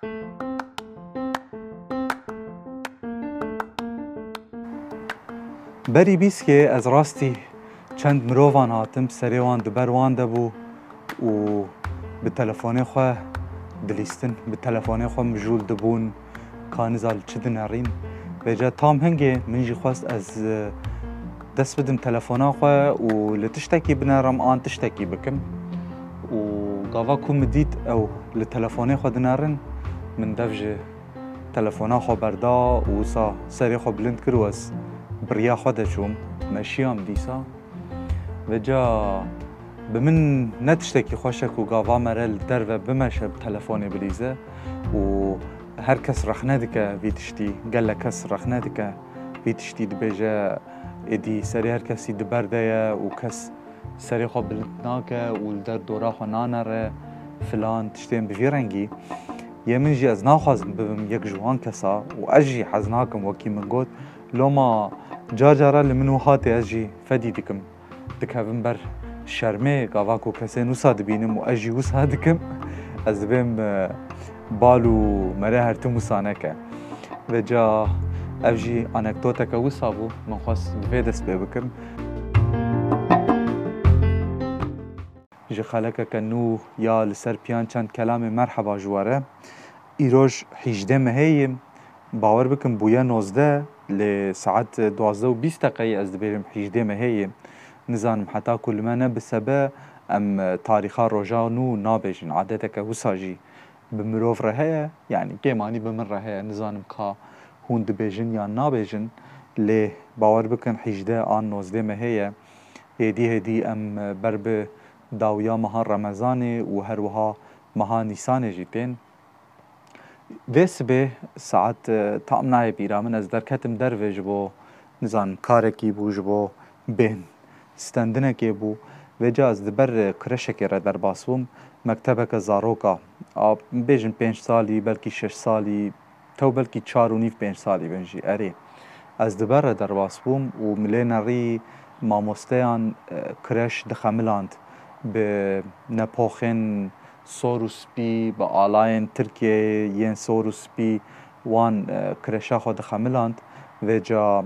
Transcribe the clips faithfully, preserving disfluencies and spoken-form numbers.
Berî bîskê ez rastî çend mirovan hatim, serê wan di ber wan de bû û bi telefonê xwe dilîstin, bi telefonê xwe mijûl dibûn, ka niza li çi dinerîn. Vêca tam hingê min jî xwest ez, e, dest bidim telefona xwe û li tiştekî binerim an tiştekî bikim. Û gava ku min dît ew li telefonê xwe dinerin, min dev ji telefona xwe berda û wisa serê xwe bilind kir û ez bi riya xwe de çûm, meşiyam dîsa. Vêca bi min ne tiştekî xweş e ku gava mere li derve bimeşe bi telefonê bilîze û her kes rexne dike vî tiştî, gelek kes rexne dike vî tiştî, dibêje êdî serê her kesî di ber de ye û kes serê xwe bilind nake û li der dora xwe nanere filan tiştên bi vî rengî. Yê min jî ez naxwazim bibim yek ji wan kesa û ez jî hez nakim wekî min got. Loma car cara li min wiha tê, ez jî fedî dikim. Dikevim ber şermê, gava ku kesên wisa dibînim û ez jî wisa dikim, ez dibêm, e, bal û mere her tim wisa neke. Vêca ev jî anekdoteke wisa bû, min xwest di vê dest pê bikim. Ji xelekeke nû ya li ser piyan çend kelamê merheba ji we re. Îroj hîjdeh mehê ye. Bawer bikin bûye nozdeh, lê saet duwazdeh û bîst deqeyê ez dibêjim hîjdeh mehê ye. Nizanim heta ku li me ne bi sebe em, e, tarîxa roja nû nabêjin. Adeteke wisa jî bi mirov re heye, yanî kêmanî bi min re heye. Nizanim ka hûn dibêjin yan nabêjin, lê bawer bikin hîjdeh an nozdeh mehê ye. Êdî hêdî em, e, ber bi dawiya meha Remezanê û her wiha meha Nîsanê jî tên. Vê sibê saet, e, tam nayê bîra min, ez derketim dervê ji bo, nizanim, karekî bû, ji bo bêhn stendinekê bû. Vêca ez di ber, e, kreşekê re derbas bûm, mektebeke zaroka, a, bêjin pênc salî, belkî şeş salî, tew belkî çar û nîv pênc salî bin jî, erê. Ez di ber re derbas bûm û min lê nerî mamosteyan, e, kreş dixemiland bi nepoxên sor û spî, bi alayên Tirkiyeyê yên sor û spî wan, e, kreşa xwe dixemiland. Vêca,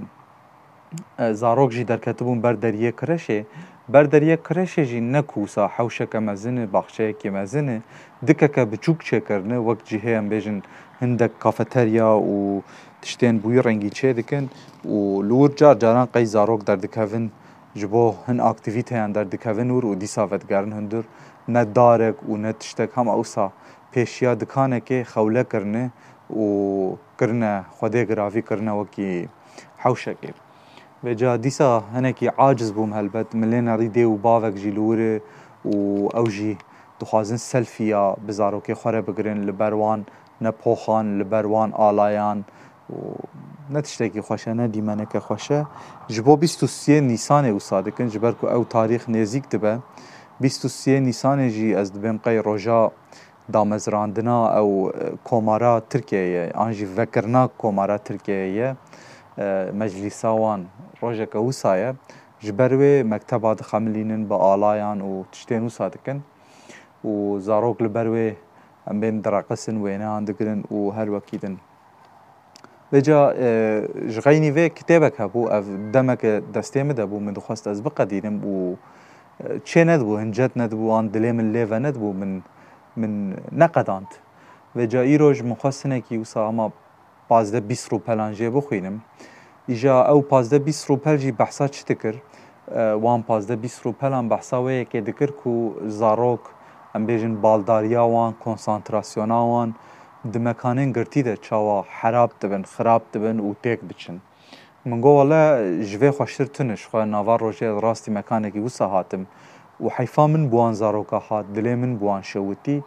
e, zarok jî derketibûn ber deriyê kreşê. Ber deriyê kreşê jî ne ku wisa hewşeke mezin e, baxçeyekê mezin e, dikeke biçûk çêkirine, wek cihê em bêjin hindek kafeterya û tiştên bi wî rengî çêdikin û li wir car caran qey zarok derdikevin, ji bo hin aktîvîteyan derdikevin wir û dîsa vedigerin hundir. Ne darek û ne tiştek, hema wisa pêşiya dikanekê xewle kirine û kirine xwedê giravî, kirine wekî hewşekê. Vêca dîsa hinekî aciz bûm helbet. Min lê nerî dê û bavek jî li wir e û ew jî dixwazin selfî ya bi zarokê xwe re bigirin, li ber wan ne poxan, li ber wan alayan û ne tiştekî xweş e, ne dîmeneke xweş e. Ji bo bîst û siyê Nîsanê wisa dikin, ji ber ku ew tarîx nêzîk dibe. Bîst û siyê Nîsanê jî ez dibêm qey roja damezrandina ew, e, komara Tirkiyeyê ye, an jî vekirina komara Tirkiyeyê ye, e, meclîsa wan rojeke wisa ye. Ji ber wê mekteba dixemilînin bi alayan û tiştên wisa dikin û zarok li ber wê em bên direqisin, wêneyan digirin û her wekî din. Vêca, e, ji xeynî vê kitêbek hebû, ev demeke destê min de bû, min dixwest ez biqedînim û, e, çê nedibû, hincet nedibû, an dilê min lê venedibû, min, min neqedand. Vêca îroj min xwest hinekî wisa hema pazdeh bîst rûpelan jê bixwînim. Îja ew pazdeh bîst rûpel jî behsa çi dikir? E, wan pazdeh bîst rûpelan behsa wê yekê dikir ku zarok, em bêjin baldariya wan, konsantrasyona wan di mekanên girtî de çawa herab dibin, xirab dibin û têk diçin. Min got, wele ji vê xweştir tune, ji xwe nava rojê ez rastî mekanekî wisa hatim û heyfa min bi wan zaroka hat, dilê min bi wan şewitî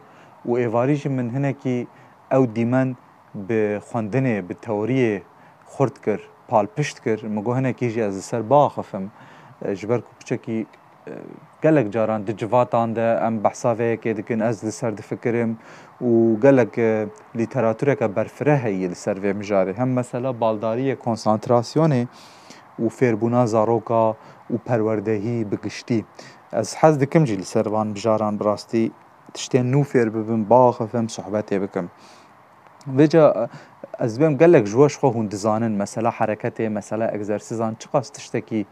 û êvarî jî min hinekî ew dîmen bi xwendinê, bi teoriyê xurt kir, palpişt kir. Min got, hinekî jî ez li ser biaxifim. E, ji ber ku piçekî, e, gelek caran di civatan de em behsa vê yekê dikin, ez li ser difikirim û gelek, e, lîteratureke berfireh heye li ser vê mijarê. Hem mesela baldariyê, konsantrasyonê û fêrbûna zaroka û perwerdehî bi giştî. Ez hez dikim jî li ser van mijaran bi rastî tiştên nû fêr bibim, biaxifim, sohbetê bikim. Vêca ez dibêm gelek ji we ji xwe hûn dizanin, mesela hereketê, mesela egzersîzan çiqas tiştekî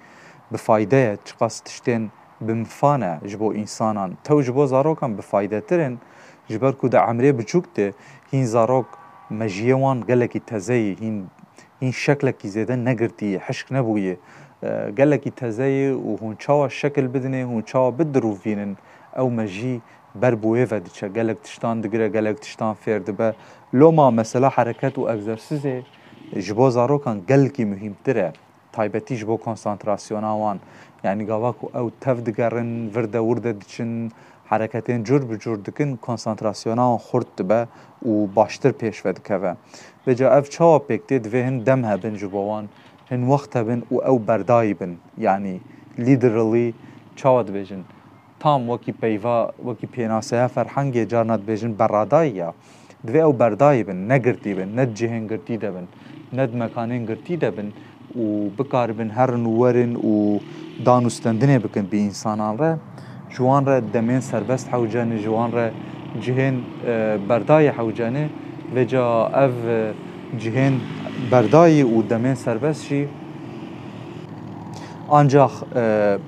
bi fayde ye, çiqas tiştên bi mifa ne ji bo însanan. Tew ji bo zarokan bi faydetir in, ji ber ku di emrê biçûk de hîn zarok mejiyê wan gelekî teze yî, hîn, hîn şeklekî zêde negirtî yî, hişk nebûyî. E, gelekî teze yî û hûn çawa şekil bidinê, hûn çawa bidirûvînin, ew mejî ber bi wê ve diçe. Gelek tiştan digire, gelek tiştan fêr dibe. Loma mesela hereket û egzersîzê ji bo zarokan gelkî muhîmtir e. Taybetî ji bo konsantrasyona wan. Yanî gava ku ew tev digerin, vir de wir de diçin, hereketên cur bi cur dikin, konsantrasyona wan xurt dibe û baştir pêş ve dikeve. Vêca ev çawa pêk tê? Divê hin dem hebin ji bo wan, hin wext hebin û ew berdayî bin. Yanî literally çawa dibêjin? Tam wekî peyva, wekî pênaseya ferhengê carna dibêjin berradayî ya. Divê ew berdayî bin, ne girtî bin, ne di cihên girtî de bin, ne di mekanên girtî de bin û bikaribin herin û werin û dan û stendinê bikin bi însanan re. Ji wan re demên serbest hewce ne, ji wan re cihên, e, berdayî hewce ne. Vêca ev, e, cihên berdayî û demên serbest jî Ancax, e,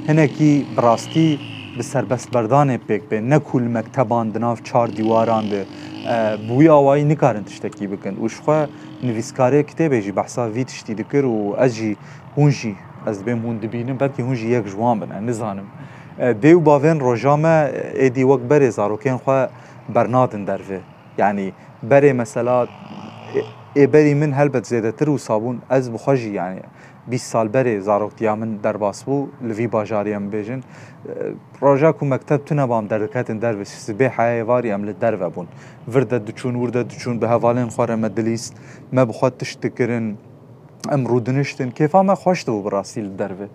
hinekî bi rastî bi serbestberdanê pêk bê, ne ku li mekteban di nav çar dîwaran de, e, bi wî awayî nikarin tiştekî bikin. Û ji xwe nivîskarê kitêbê jî behsa vî tiştî dikir û ez jî, hûn jî, ez dibêm hûn dibînin, belkî hûn jî yek ji wan bin, ez nizanim. E, dê û bavên roja me êdî wek berê zarokên xwe bernadin derve. Yanî berê mesela, ê, ê berî min helbet zêdetir wisa bûn. Ez bi xwe jî, yanî bîst sal berê zaroktiya min derbas bû, li vî bajarî em bêjin. E, roja ku mekteb tune bam derdiketin derve, sibê heya êvarî em li derve bûn. Vir de diçûn, wir de diçûn, bi hevalên xwe re me dilîst, me bi xwe tişt dikirin. Em rûdiniştin, kêfa me xweş dibû bi rastî li derve.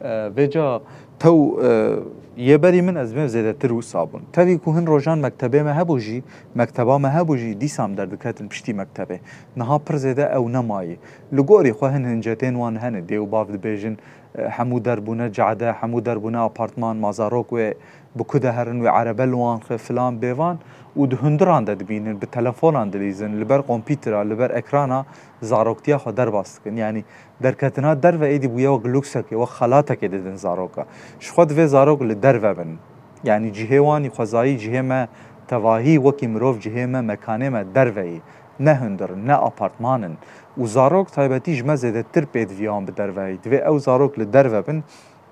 E, vêca tew, e, yê berî min ez bêm zêdetir wisa bûn. Tevî ku hin rojan mektebê me hebû jî, mekteba me hebû jî, dîsa em derdiketin piştî mektebê. Niha pir zêde ew nemayî. Li gorî xwe hin hincetên wan hene, dê û bav dibêjin, e, hemû derbûne cade, hemû derbûne apartman, ma zarok wê bi ku de herin wê erebe li wan xe filan bêvan û di hundiran de dibînin, bi telefonan dilîzin, li ber kompîtera, li ber ekrana zaroktiya xwe derbas dikin. Yanî derketina derve êdî bûye wek luksekê, wek xelatekê didin zaroka. Ji xwe divê zarok li derve bin. Yanî cihê wan î xwezayî, cihê me tevahî wekî mirov, cihê me, mekanê me derve yî. Ne hundir in, ne apartman in. Û zarok taybetî ji me zêdetir pêdiviya wan bi derve yî. Divê ew zarok li derve bin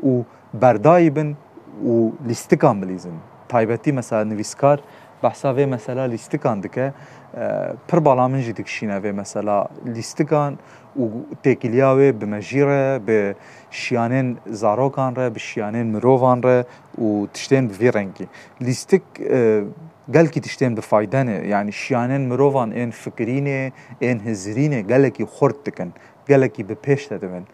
û berdayî bin û lîstikan bilîzin. Taybetî mesela nivîskar behsa vê mesela lîstikan dike. E, pir bala min jî dikişîne vê mesela lîstikan û têkiliya wê bi mejî re, bi şiyanên zarokan re, bi şiyanên mirovan re û tiştên bi vî rengî. Lîstik, e, gelkî tiştên bi fayde ne. Yanî şiyanên mirovan ên fikirînê, ên hizirînê gelekî xurt dikin, gelekî bi pêş de dibin.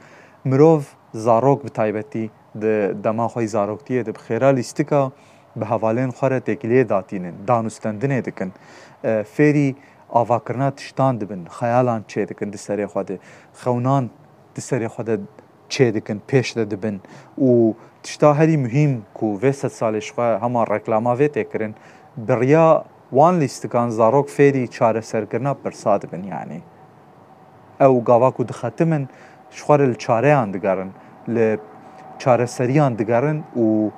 Mirov, zarok bi taybetî, di dema xwe yî zaroktiyê de bi xêra lîstika bi hevalên xwe re têkiliyê datînin, dan û stendinê dikin. E, fêrî avakirina tiştan dibin, xeyalan çê dikin di serê xwe de, xewnan di serê xwe de çê dikin, pêş de dibin. Û tişta herî muhîm ku vê sedsalê ji xwe hema reklama vê tê kirin, bi riya wan lîstikan zarok fêrî çareserkirina pirsa dibin, yanî. Ew gava ku dixetimin, ji xwe re li çareyan digerin, li çareseriyan digerin û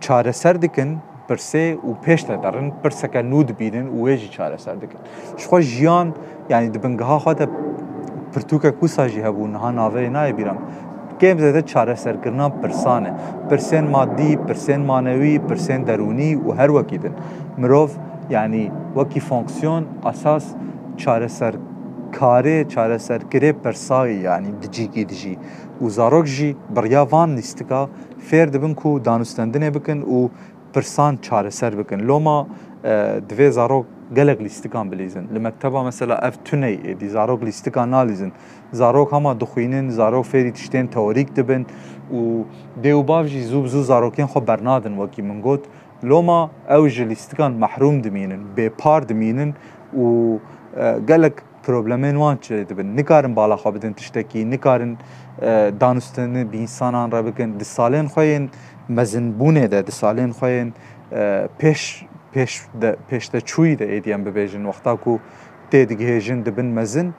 çareser dikin pirsê û pêş de derin, pirseke nû dibînin û wê jî çareser dikin. Ji xwe jiyan, yanî di bingeha xwe de pirtûkek wisa jî hebû, niha navê nayê bîra min. Kêm zêde çareserkirina pirsan e. Pirsên madî, pirsên manewî, pirsên derûnî û her wekî din. Mirov, yanî wekî fonksiyon, esas çareserkarê, çareserkirê pirsayî, yanî di cîkî dijî. Û zarok jî bi riya van lîstika fêr dibin ku danûstendinê bikin û pirsan çareser bikin. Loma, e, divê zarok gelek lîstikan bilîzin. Li mekteba mesela ev tuney êdî zarok lîstikan nalîzin. Zarok hema dixwînin, zarok fêrî tiştên teorîk dibin û dê û bav jî zû bi zû zarokên xwe bernadin, wekî min got. Loma ew ji lîstikan mehrûm dimînin, bêpar dimînin û, e, gelek problemên wan çêdibin. Nikarin bala xwe bidin tiştekî, nikarin, e, danûstendin bi însanan re bikin. Di salên xwe yên mezinbûnê de, di salên xwe yên, e, pêş pêş de, pêşteçûyî de êdî em bibêjin, wexta ku tê digihêjin dibin mezin,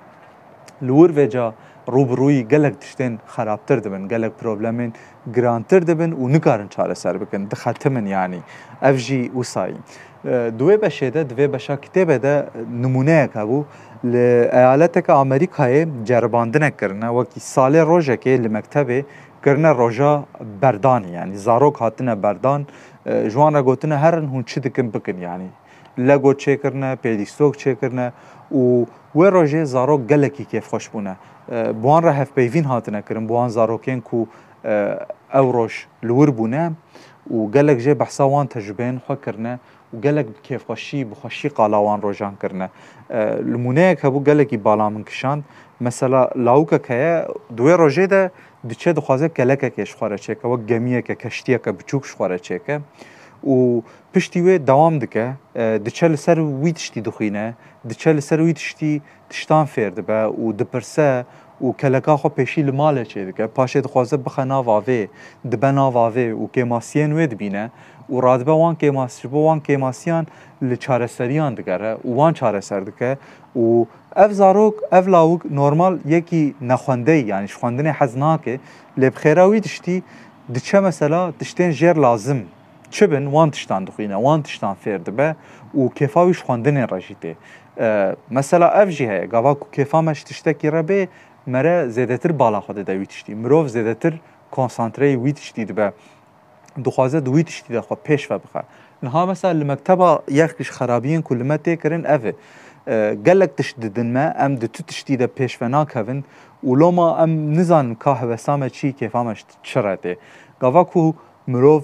li wir vêca rû bi rûyî gelek tiştên xerabtir dibin, gelek problemên girantir dibin û nikarin çareser bikin, dixetimin yanî. Ev jî wisayî. E, di wê beşê de, di vê beşa kitêbê de nimûneyek hebû. Li eyaleteke Amerîkayê ceribandinek kirine, wekî salê rojekê li mektebê kirine roja berdanê, yanî zarok hatine berdan, e, ji wan re gotine herin hûn çi dikin bikin, yanî Lego çêkirine, pêlîstok çêkirine û wê rojê zarok gelekî kêfxweş bûne. E, bi wan re hevpeyvîn hatine kirin, bi wan zarokên ku, e, ew roj li wir bûne û gelek jê behsa wan tecrûbeyên xwe kirine û gelek bi kêfxweşî, bi xweşî qala wan rojan kirine. E, nimûneyek hebû gelekî bala min kişand. Mesela lawikek heye, di wê rojê de diçe dixwaze kelekekê ji xwe re çêke, wek gemiyeke, keştiyeke biçûk ji xwe re çêke û piştî wê dewam dike, e, diçe li ser wî tiştî dixwîne, diçe li ser wî tiştî tiştan fêr dibe û dipirse û keleka xwe pêşî li malê çêdike. Paşê dixwaze bixe nav avê, dibe nav avê û kêmasiyên wê dibîne û radibe wan kêmas-, ji bo wan kêmasiyan li çareseriyan digere û wan çareser dike û ev zarok, ev lawik normal yekî nexwendeyî, yanî ji xwendinê hez nake, lê bi xêra wî tiştî diçe mesela tiştên jêr lazim çi bin, wan tiştan dixwîne, wan tiştan fêr dibe û kêfa wî ji xwendinê re jî tê. E, mesela ev jî heye, gava ku kêfa me ji tiştekî re bê, me re zêdetir bala xwe dide wî tiştî. Mirov zêdetir konsantreyê wî tiştî dibe. Dixwaze di wî tiştî de xwe pêş ve bixe. Niha mesela li mekteba yek ji xerabiyên ku li me tê kirin ev e. E, gelek tişt didin me, em di tu tiştî de pêş ve nakevin û loma em nizanin ka hewesa me çi, kêfa me ji çi re tê. Gava ku mirov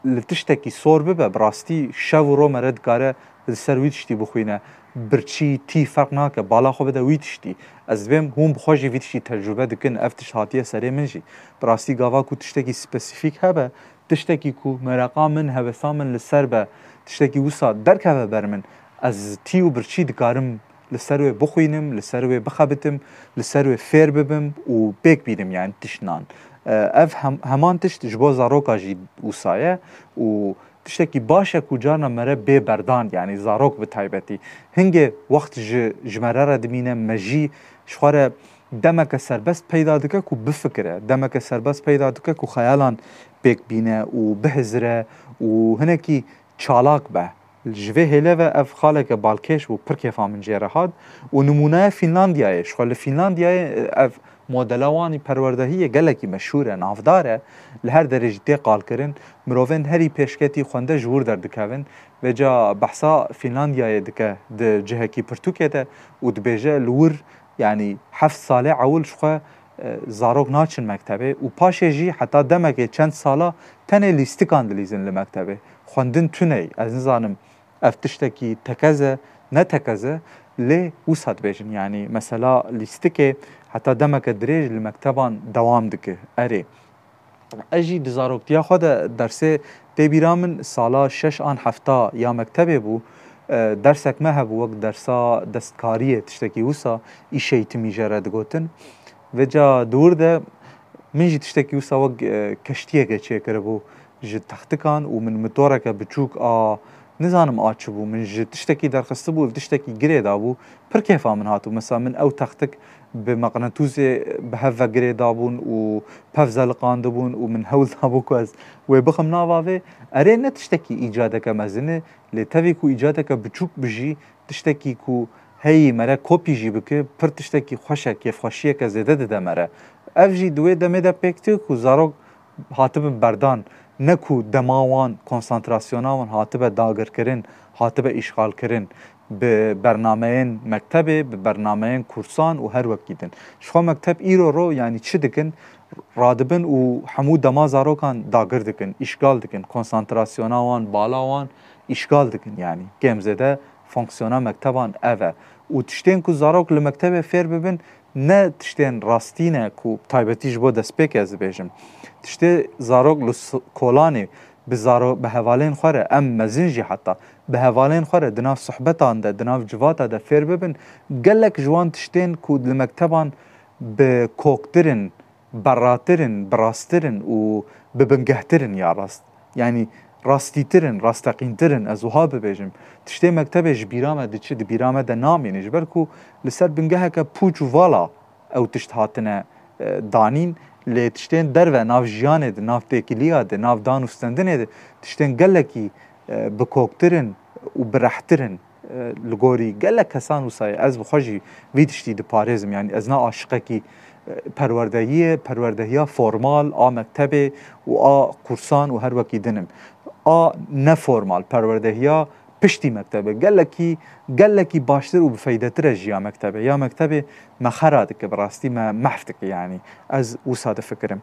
li tiştekî sor bibe, bi rastî şev û ro me re dikare li ser wî tiştî bixwîne. Birçî, tî ferq nake, bala xwe bide wî tiştî. Ez dibêm hûn bi xwe jî vî tiştî tecrûbe dikin, ev tişt hatiye serê min jî. Bi rastî gava ku tiştekî spesîfîk hebe, tiştekî ku mereqa min, hevesa min li ser be, tiştekî wisa derkeve ber min, ez tî û birçî dikarim li ser wê bixwînim, li ser wê bixebitim, li ser wê fêr bibim û pêk bînim, yani tişt nan. E, ev hem-, heman tişt ji bo zaroka jî wisa ye û tiştekî baş e ku carna mere bê berdan, yani zarok bi taybetî. Hingê wext ji, ji mere re dimîne, me jî ji xwe re demeke serbest peyda dike ku bifikire, demeke serbest peyda dike ku xeyalan pêk bîne û bihizire û hinekî çalak be. Ji vê hêle ve ev xaleke balkêş bû, pir kêfa min jê re hat. Û nimûneya Fînlandiyayê, ji xwe li Fînlandiyayê, ev modela wan î perwerdehiyê gelekî meşhûr e, navdar e, li her derê jî tê qalkirin. Mirovên herî pêşketî xwende ji wir derdikevin. Vêca behsa Fînlandiyayê dike di cihekî pirtûkê de û dibêje li wir, yanî heft salê ewil ji xwe, e, zarok naçin mektebê û paşê jî heta demekê çend sala tenê lîstikan dilîzin li mektebê. Xwendin tune ye. Ez nizanim ev tiştekî tekez e, ne tekez e, lê wisa dibêjin. Yanî mesela lîstikê heta demeke dirêj li mekteban dewam dike. Erê. Ez jî di zaroktiya xwe de dersê tê bîra min, sala şeş an hefta ya mektebê bû. E, dersek me hebû wek dersa destkariyê, tiştekî wisa, îş eğitimi jê re digotin. Vêca di wir de min jî tiştekî wisa wek, e, keştiyeke çêkiribû ji textikan û min motoreke biçûk a, nizanim a çi bû, min ji tiştekî derxistibû, li tiştekî girê dabû. Pir kêfa min hatibû. Mesela min ew textik bi meqnetûsê bi hev ve girê dabûn û pev zeliqandibûn û min hewl dabû ku ez wê bixim nav avê. Erê, ne tiştekî îcadeke mezin e, lê tevî ku îcadeke biçûk bijî, tiştekî ku heyî mere kopî jî bike, pir tiştekî xweş e, kêfxweşiyeke zêde dide mere. Ev jî di wê demê de pêk tê ku zarok hatibin berdan, ne ku dema wan, konsantrasyona wan hatibe dagirkirin, hatibe îşxalkirin bi bernameyên mektebê, bi bernameyên kursan û her wekî din. Ji xwe mekteb îro ro, yanî çi dikin? Radibin û hemû dema zarokan dagir dikin, îşgal dikin, konsantrasyona wan, bala wan îşgal dikin, yanî kêm zêde fonksiyona mekteban ev e. Û tiştên ku zarok li mektebê fêr bibin, ne tiştên rastî ne ku taybetî ji bo destpêkê ez dibêjim. Tiştê zarok li s-, kolanê bi zaro-, bi hevalên xwe re, em mezin jî heta, bi hevalên xwe re di nav sohbetan de, di nav civata de fêr bibin, gelek ji wan tiştên ku li mekteban bi koktir in, berratir in, bi rastir in û bi bingehtir in ya rast. Yanî rastîtir in, rasteqîntir in, ez wiha bibêjim. Tiştê mektebê ji bîra me diçi, di bîra me de namîne. Ji ber ku li ser bingeheke pûç û vala ew tişt hatine, e, danîn, lê tiştên derve, nav jiyanê de, nav têkiliya de, nav dan û stendinê de, tiştên gelekî, e, bikoktir in û birehtir in. E, li gorî gelek kesan wisa ye. Ez bi xwe jî vî tiştî diparêzim. Yanî ez ne aşiqekî, e, perwerdehiyê, perwerdehiya formal, a mektebê û a kursan û her wekî din im. A neformal, perwerdehiya piştî mektebê, gelekî, gelekî baştir û bifeydetir e ji ya mektebê. Ya mektebê me xera dike, bi rastî me mehf dike yanî. Ez wisa difikirim.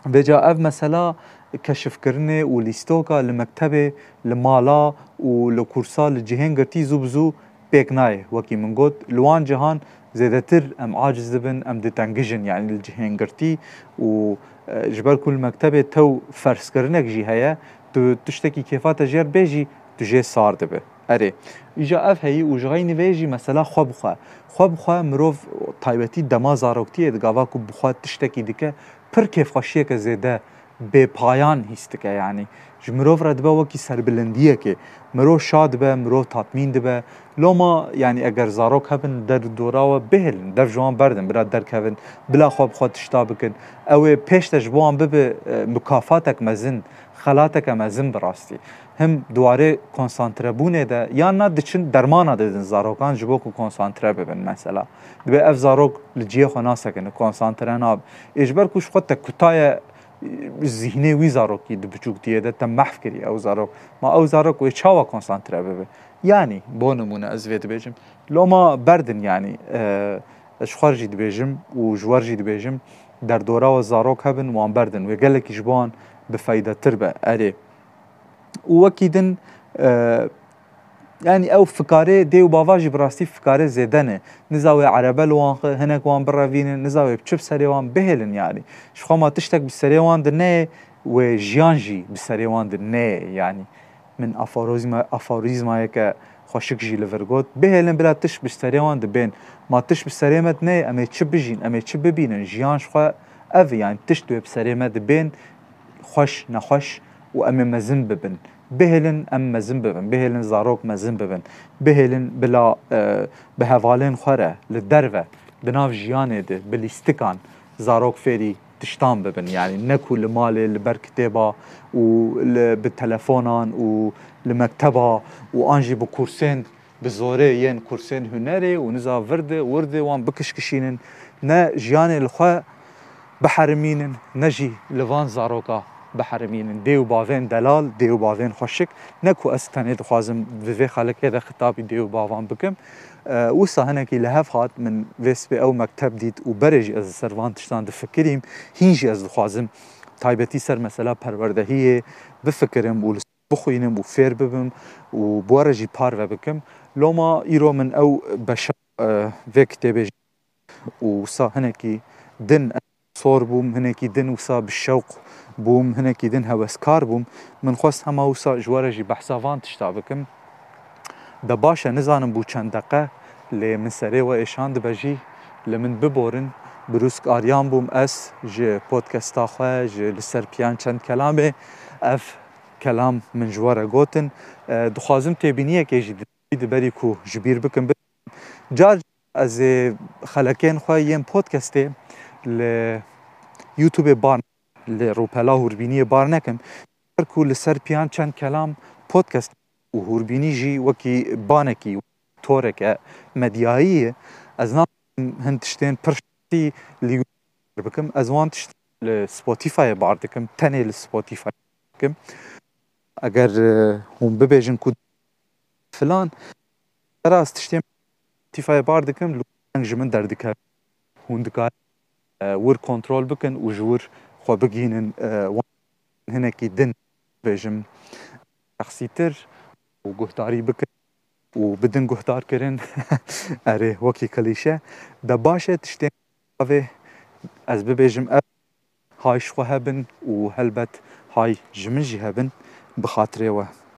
Vêca ev mesela keşifkirinê û lîstoka li mektebê, li mala û li kursa, li cihên girtî zû bi zû pêk nayê. Wekî min got, li wan cihan zêdetir em aciz dibin, em ditengijin, yanî li cihên girtî û, e, ji ber ku li mektebê tew ferzkirinek jî heye, tu tiştekî kêfa te jêr bêjî, tu jê sar dibe. Erê, îja ev heyî û ji xeynî vê jî mesela xwe bi xwe. Xwe bi xwe mirov taybetî dema zaroktiyê di gava ku bi xwe tiştekî dike, pir kêfxweşiyeke zêde bêpayan hîs dike, yanî ji mirov re dibe wekî serbilindiyekê. Mirov şa dibe, mirov tatmîn dibe. Loma, yanî eger zarok hebin der dora we, bihêlin, dev ji wan berdin, bila derkevin, bila xwe bi xwe tişta bikin. Ew ê pêş de ji bo wan bibe, e, mukafatek mezin, xelateke mezin bi rastî. Him di warê konsantrebûnê de, yan na diçin dermana didin zarokan ji bo ku konsantre bibin mesela. Dibe ev zarok li cihê xwe nasekine, konsantre nabe. Ê ji ber ku ji xwe te kutaye, e, zîhnê wî zarokî di biçûktiyê de te mehf kiriye ew zarok. Ma ew zarok wê çawa konsantre bibe? Yanî, bo nimûne ez vê dibêjim. Loma berdin yanî, e, ez ji xwe jî dibêjim û ji we jî dibêjim, derdora we zarok hebin, wan berdin. Wê gelekî ji bo wan bifeydetir be. Erê. Û wekî din, e, yanî ew fikarê dê û bava jî bi rastî fikarê zêde ne. Niza wê erebe li wan xe, hinek wan birevînin, niza wê bi çi bi serê wan bihêlin yanî. Ji xwe ma tiştek bi serê wan de neyê, wê jiyan jî bi serê wan de neyê yanî. Min aforîzma-, aforîzmayeke xweşik jî li vir got, bihêlin bila tişt bi serê wan de bên. Ma tişt bi serê me de neyê, em ê çi bijîn, em ê çi bibînin, jiyan ji xwe ev e, yanî tişt wê bi serê me de bên, xweş, nexweş û em ê mezin bibin. Bihêlin em mezin bibin, bihêlin zarok mezin bibin, bihêlin bila, e, bi hevalên xwe re li derve, di nav jiyanê de, bi lîstikan zarok fêrî tiştan bibin. Yanî ne ku li malê, li ber kitêba û li, bi telefonan û li mekteba û an jî bi kursên bi zorê yên kursên hunerê û niza vir de, wir de wan bikişkişînin, ne jiyanê li xwe biherimînin, ne jî li van zaroka biherimînin. Dê û bavên delal, dê û bavên xweşik, ne ku ez tenê dixwazim di vê xelekê de xitabî dê û bavan bikim. E, wisa hinekî li hev hat, min vê sibê ew mekteb dît û berê jî ez li ser van tiştan difikirîm. Hîn jî ez dixwazim taybetî ser mesela perwerdehiyê bifikirim û li bixwînim û fêr bibim û bi we re jî parve bikim. Loma îro min ew beşa, e, vê kitêbê jî û wisa hinekî din sor bûm, hinekî din wisa bi şewq bûm, hinekî din heweskar bûm. Min xwest hema wisa ji we re jî behsa van tişta bikim. De baş e, nizanim bû çend deqe, lê min serê we êşandibe jî, li min biborin. Birûsk Aryan bûm ez, ji podcasta xwe, ji Li Ser Piyan Çend Kelamê. Ev kelam min ji we re gotin. E, dixwazim têbîniyekê jî di, di berî ku ji bîr bikim. Car ez ê xelekên xwe yên podcastê li YouTubeê bar, li rûpela hûrbîniyê bar nekim. Her ku Li Ser Piyan Çend Kelam podcast û hûrbînî jî wekî banekî, toreke medyayî ye. Ez naxwazim hin tiştên pir şexsî li YouTube bikim. Ez wan tişt li Spotifyê bar dikim, tenê li Spotify dikim. Eger, e, hûn bibêjin ku filan, sera ez tiştên Spotifyê bar dikim, li deng ji min derdikevin. Hûn dikarin, e, wir kontrol bikin û ji wir xwe bigihînin, e, wan hinekî din bêjim, şexsîtir û guhdarî bikin û bidin guhdarkirin. Erê, wekî klîşe. De baş e, tiştên avê ez bibêjim, ev hay ji xwe hebin û helbet hay ji min jî hebin, bi xatirê we.